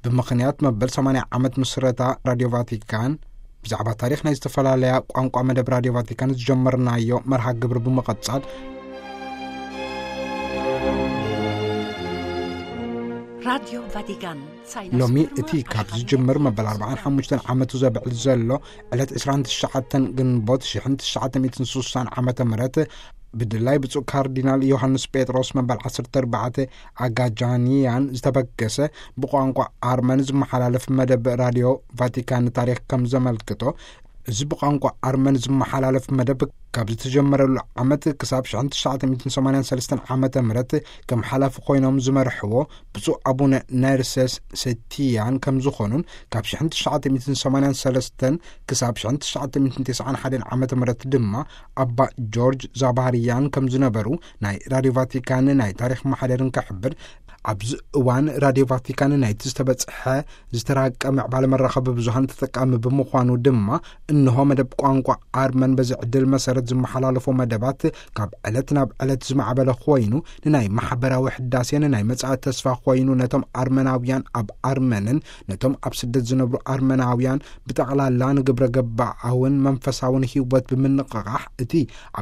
ብምኽንያት መበል ሰማንያ ዓመት ምስረታ ራድዮ ቫቲካን፣ ብዛዕባ ታሪኽ ናይ ዝተፈላለያ ቋንቋ መደብ ራድዮ ቫቲካን ዝጀመርናዮ መርሃ ግብሪ ብምቕጻል፣ ራድዮ ቫቲካን ሳይነስ ሎሚ ምርምር እቲ ካብ ኣሽሓት ዝጅምር መበል ኣርባዓን ሓሙሽተን ዓመቱ ዘብዕል ዘሎ ዕለት ዕስራን ትሽዓተን ግንቦት ሽሕን ትሽዓተ ሚእትን ስሳን ዓመተ ምህረት፣ ብድላይ ብፁዕ ካርዲናል ዮሃንስ ጴጥሮስ መበል ዓሰርተ ኣርባዕተ ኣጋጃንያን ዝተበገሰ፣ ብቋንቋ ኣርመን ዝመሓላለፍ መደብ ራድዮ ቫቲካን ታሪኽ ከም ዘመልክቶ፣ እዚ ብቋንቋ ኣርመን ዝመሓላለፍ መደብ ካብ ዝተጀመረሉ ዓመት ክሳብ ሽሕን ትሽዓተ ሚእትን ሰማንያን ሰለስተን ዓመተ ምህረት ከም ሓላፊ ኮይኖም ዝመርሕዎ ብፁዕ ኣቡነ ነርሰስ ሰቲያን ከም ዝኾኑን፣ ካብ ሽሕን ትሽዓተ ሚእትን ሰማንያን ሰለስተን ክሳብ ሽሕን ትሽዓተ ሚእትን ተስዓን ሓደን ዓመተ ምህረት ድማ ኣባ ጆርጅ ዛባርያን ከም ዝነበሩ ናይ ራድዮ ቫቲካን ናይ ታሪኽ ማሕደርን ክሕብር፣ ኣብዚ እዋን ራድዮ ቫቲካን ናይቲ ዝተበጽሐ ዝተራቀ ምዕባለ መራኸቢ ብዙሃን ተጠቃሚ ብምዃኑ ድማ፣ እንሆ መደብ ቋንቋ ኣርመን በዚ ዕድል መሰረት ዝመሓላለፎ መደባት ካብ ዕለት ናብ ዕለት ዝማዕበለ ኮይኑ፣ ንናይ ማሕበራዊ ሕዳሴን ናይ መጻኢ ተስፋ ኮይኑ፣ ነቶም ኣርመናውያን ኣብ ኣርመንን ነቶም ኣብ ስደት ዝነብሩ ኣርመናውያን ብጠቕላላ ንግብረ ገባኣውን መንፈሳውን ህይወት ብምንቕቓሕ፣ እቲ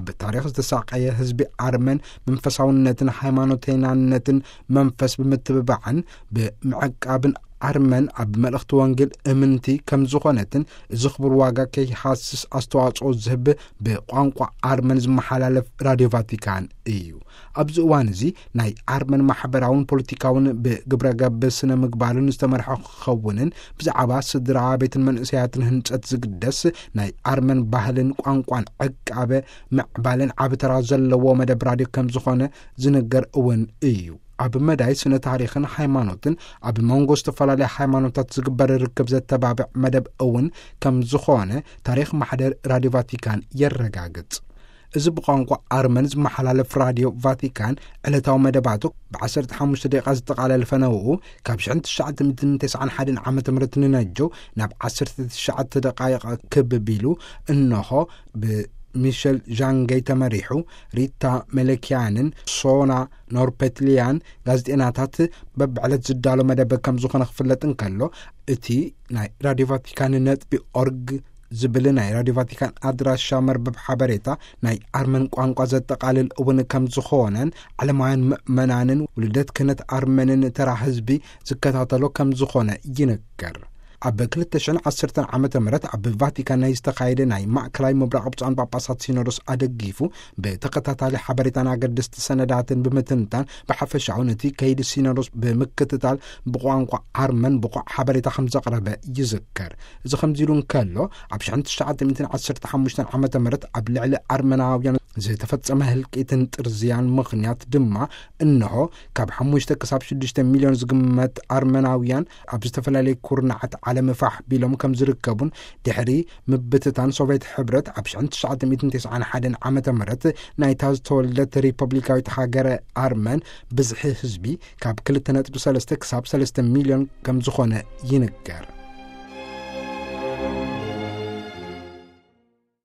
ኣብ ታሪኽ ዝተሳቀየ ህዝቢ ኣርመን መንፈሳውነትን ሃይማኖተይናነትን መንፈስ ብምትብባዕን ብምዕቃብን፣ ኣርመን ኣብ መልእኽቲ ወንጌል እምንቲ ከም ዝኾነትን፣ እዚ ክቡር ዋጋ ከይሃስስ ኣስተዋጽኦ ዝህብ ብቋንቋ ኣርመን ዝመሓላለፍ ራድዮ ቫቲካን እዩ። ኣብዚ እዋን እዚ ናይ ኣርመን ማሕበራውን ፖለቲካውን ብግብረ ገብ ስነ ምግባርን ዝተመርሐ ክኸውንን፣ ብዛዕባ ስድራ ቤትን መንእሰያትን ህንጸት ዝግደስ ናይ ኣርመን ባህልን ቋንቋን ዕቃበ ምዕባልን ዓቢ ተራ ዘለዎ መደብ ራድዮ ከም ዝኾነ ዝንገር እውን እዩ። ኣብ መዳይ ስነ ታሪኽን ሃይማኖትን ኣብ መንጎ ዝተፈላለያ ሃይማኖታት ዝግበር ርክብ ዘተባብዕ መደብ እውን ከም ዝኾነ ታሪኽ ማሕደር ራድዮ ቫቲካን የረጋግጽ። እዚ ብቋንቋ ኣርመን ዝመሓላለፍ ራድዮ ቫቲካን ዕለታዊ መደባቱ ብ ዓሰርተ ሓሙሽተ ደቂቓ ዝጠቓለል ፈነውኡ፣ ካብ ሽሕን ትሽዓተ ሚእትን ተስዓን ሓደን ዓመተ ምህረት ንነጀው ናብ ዓሰርተ ትሽዓተ ደቃይቕ ክብ ቢሉ፣ እንሆ ብሚሸል ዣንገይ ተመሪሑ፣ ሪታ መለኪያንን ሶና ኖርፐትሊያን ጋዜጤናታት በብዕለት ዝዳሎ መደብ ከም ዝኾነ ክፍለጥ እንከሎ፣ እቲ ናይ ራድዮ ቫቲካን ነጥቢ ኦርግ ዝብል ናይ ራድዮ ቫቲካን ኣድራሻ መርበብ ሓበሬታ ናይ ኣርመን ቋንቋ ዘጠቓልል እውን ከም ዝኾነን፣ ዓለማውያን ምእመናንን ውልደት ክህነት ኣርመንን ተራ ህዝቢ ዝከታተሎ ከም ዝኾነ ይንገር። ኣብ ክልተ ሽሕን ዓሰርተን ዓመተ ምህረት ኣብ ቫቲካን ናይ ዝተኻየደ ናይ ማእከላይ ምብራቕ ብፁዓን ጳጳሳት ሲኖዶስ ኣደጊፉ፣ ብተኸታታሊ ሓበሬታን ኣገደስቲ ሰነዳትን ብምትንታን፣ ብሓፈሻኡ ነቲ ከይዲ ሲኖዶስ ብምክትታል፣ ብቋንቋ ኣርመን ብቑዕ ሓበሬታ ከም ዘቕረበ ይዝከር። እዚ ከምዚ ኢሉ እንከሎ፣ ኣብ ሽሕን ትሽዓተ ሚእትን ዓሰርተ ሓሙሽተን ዓመተ ምህረት ኣብ ልዕሊ ኣርመናውያን ዝተፈጸመ ህልቂትን ጥርዝያን ምኽንያት ድማ፣ እንሆ ካብ ሓሙሽተ ክሳብ ሽዱሽተ ሚልዮን ዝግመት ኣርመናውያን ኣብ ዝተፈላለየ ኩርናዓት ዓለም ፋሕ ቢሎም ከም ዝርከቡን፣ ድሕሪ ምብትታን ሶቪየት ሕብረት ኣብ ሽሕን ትሽዓተ ሚእትን ተስዓን ሓደን ዓመተ ምህረት፣ ናይታ ዝተወልደት ሪፐብሊካዊት ሃገረ ኣርመን ብዝሒ ህዝቢ ካብ ክልተ ነጥቢ ሰለስተ ክሳብ ሰለስተ ሚልዮን ከም ዝኾነ ይንገር።